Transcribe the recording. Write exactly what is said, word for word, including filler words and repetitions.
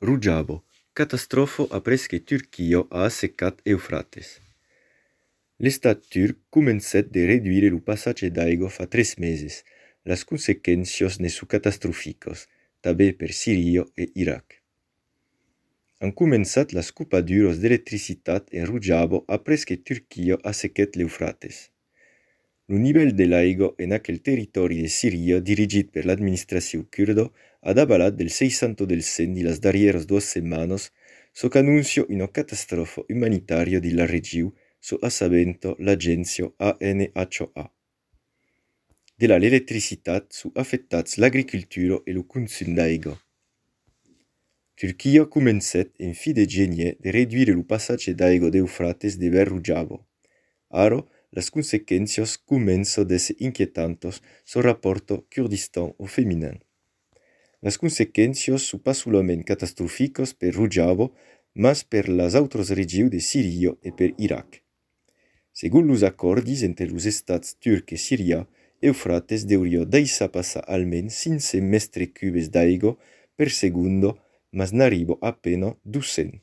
Rujabo, catastrofo après que Turquia ha assecat Eufrates. L'estat turc començat de reduire el passatge d'aigua fa tres meses. Las consequèncias ne su catastroficos, també per Siria e Iraq. Han començat las copaduras d'electricitat en Rujabo après que Turquia ha assecat l'Eufrates. El nivell de l'aigua en aquel territori de Siria dirigit per l'administració curda ha dabalat del seisanta per cent de las darrieras dues setmanes, so qu'annuncio una catastrofa humanitaria de la regió, so assabento l'agència A N H A. De l'electricitat so afectats l'agricultura e el consum d'aigua. Turquia ha començat en fi de gener de reduire el passatge d'aigua d'Eufrates de vers Rujabo. Ara, las consequències comencen a ser inquietantes, so rapporta Kurdistan au Féminin. Las consequències són pas solament catastròfiques per Rujabo, mas per las altres regions de Siria e per Iraq. Según los acordis entre los estats turc e siria, Eufrates deuria deixar passar almenys cinc cents metres cubes d'aigua per segundo, mas n'arriba appena duecents.